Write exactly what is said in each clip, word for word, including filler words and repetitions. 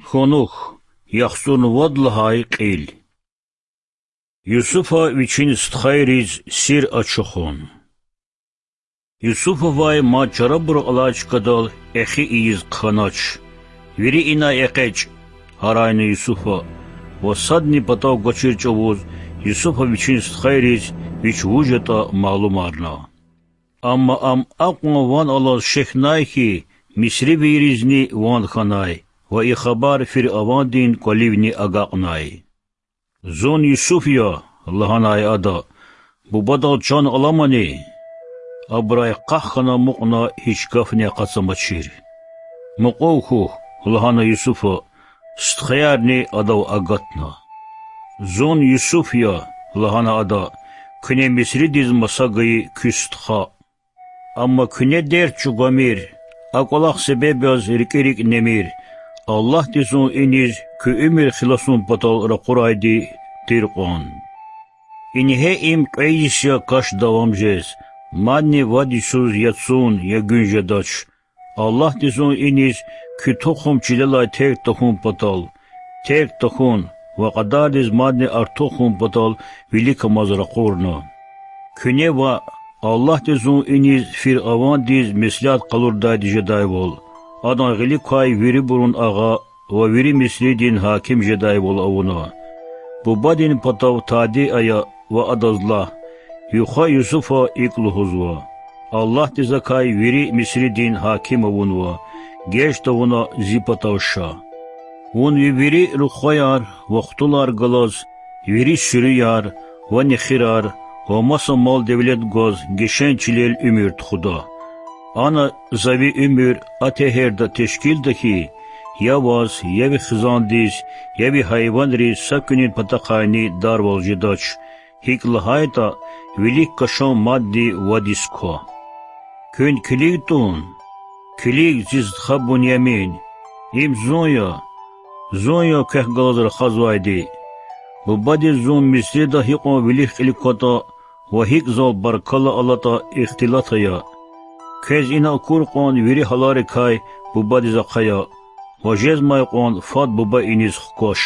Хьунухь, яхцӀурни вад лагьай кьил. Юсуфа вичин стхайриз сир ачухун. Юсуфавай мад чарабур алай чкадал эхи ийиз хъхьанач. Вири инай экъечӀ,— гьарайна Юсуфа, ва садни патав квачир чӀавуз Юсуфа вичин стхайриз вич вуж ятӀа малумарна. Амма ам акьван ван алаз шехьнай хьи, мисривийризни ван хьанай, ва и хабар фиръавандин кӀваливни агакьнай. Зун Юсуф я,— лагьанай ада,— бубадал чан аламани? Абурай къах хьана амукьна гьич гафни акъатзамачир. Мукьув хьухь,— лагьана Юсуфа, стхаярни адав агатна. Зун Юсуф я,— лагьана ада,— куьне Мисридиз маса гайи куь стха. Амма куьне дерт чӀугвамир, а кӀвалах себеб яз рикӀи рикӀ немир, Аллагьди зун иниз куь уьмуьр хиласун патал ракъурайди тир кьван. Ингье им кьве йис я каш давам жез, мадни вад йисуз я цун, я гуьн жедач. Аллагьди зун иниз куь тухум чилелай терг тахьун патал, терг тахьун ва кьадардиз мадни артух хьун патал виликамаз ракъурна. Куьне ваъ, Аллагьди зун иниз фиръавандиз меслят къалурдайди жедайвал, адан гъилик квай вирибурун агъа ва вири Мисридин гьаким жедайвал авуна. Бубадин патав тади ая ва адаз лагь: ви хва Юсуфа икӀ лугьузва: Аллагьди закай вири Мисридин гьаким авунва, геж тавуна зи патав ша. Вун ви вири рухваяр ва хтулар галаз, вири суьруьяр ва нехирар ва маса мал-девлет гваз гишен чилел уьмуьр тухуда. Ана за ви уьмуьр а тегьерда тешкилда хьи, я ваз, я ви хизандиз, я ви гьайванриз са куьнин патахъайни дарвал жедач, гьикӀ лагьайтӀа, вилик кашан мадни вад йис ква. Куьн килиг тӀун, килиг, зи стха Бунямин, им зун я, зун я квехъ галаз рахазвайди. Бубадиз зун Мисрида гьикьван вилик-кьилик кватӀа ва гьикӀ зал баркалла алатӀа ихтилат ая. Квез ина акур кьван вири гьаларикай бубадиз ахъая ва жезмай кьван фад буба иниз хкваш.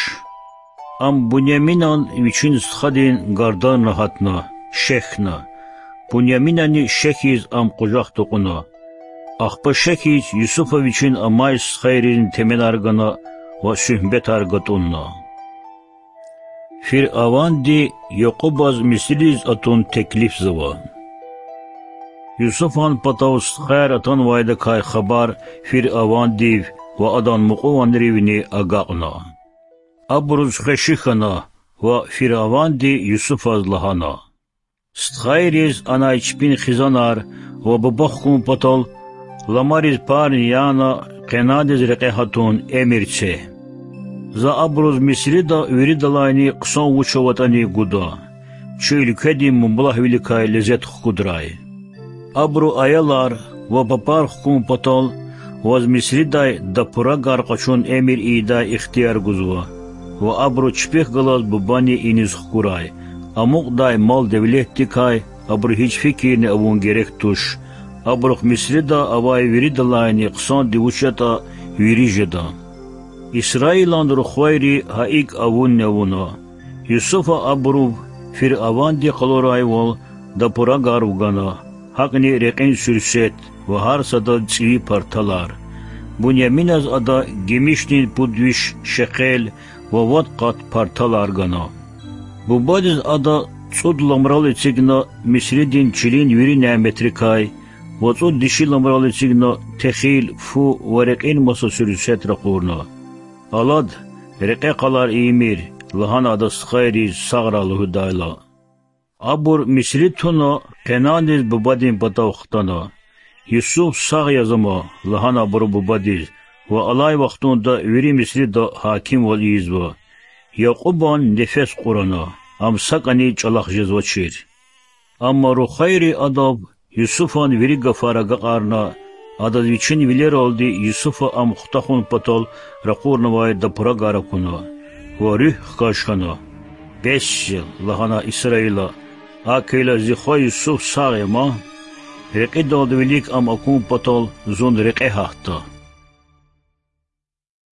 Ам Буняминан вичин стхадин гарданра гьатна, шехьна. Буняминани шехьиз ам къужахда кьуна. Ахпа шехьиз Юсуфа вичин амай стхайризни теменар гана ва суьгьбетар гатӀунна. Фиръаванди Якьубаз Мисририз атун теклифзава. Юсуфан патав стхаяр атанвайдакай хабар фиръавандив ва адан мукьуванривни агакьна. Абуруз хвеши хьана ва фиръаванди Юсуфаз лагьана: Стхайриз анай чпин хизанар ва буба хкун патал ламариз парни яна къенадиз рекье гьатун эмир це. За абуруз Мисрида виридалайни хъсан вуч аватӀани гуда. Чи уьлкведин мублагьвиликай лезет хкудрай. Абуру аялар ва папар хкун патал ваз Мисридай дапурагар къачун эмир ийидай ихтияр гузва, ва абуру чпихъ галаз бубани иниз хкурай. Амукьдай мал-девлетдикай абуру гьич фикирни авун герек туш. Абурухъ Мисрида авай виридалайни хъсанди вуч ятӀа, вири жеда. Исраилан рухвайри гьа икӀ авунни авуна. Юсуфа абурув фиръаванди къалурайвал дапурагар вугана, гьакӀни рекьин суьрсет ва гьар садаз цӀийи парталар. Буняминаз ада гимишдин пуд виш шекъел ва вад къат парталар гана. Бубадиз ада цӀуд ламрал эцигна Мисридин чилин вири няметрикай ва цӀуд диши ламрал эцигна техил, фу ва рекьин маса суьрсет ракъурна. Алад, рекье къалар ийимир,— лагьана ада стхайриз сагърай лугьудайла. Абур Мисри туна, къенадиз бубадин патав хтана. Юсуф сагъ яз ама,— лагьана абуру бубадиз, ва алай вахтунда вири Мисрида гьакимвал ийизва. Якьубан нефес кьурана, ам сакӀани чӀалахъ жезвачир. Амма рухвайри адав Юсуфан вири гафар агакьарна, адаз вичин вилералди Юсуфа ам хутахун патал ракъурнавай дапурагар акуна ва руьгь хкаж хьана. Бес жез,— лагьана Исраила,— гьакӀ хьайила зи хва Юсуф сагъ я ман. Рекьидалди вилик ам акун патал зун рекье гьатда.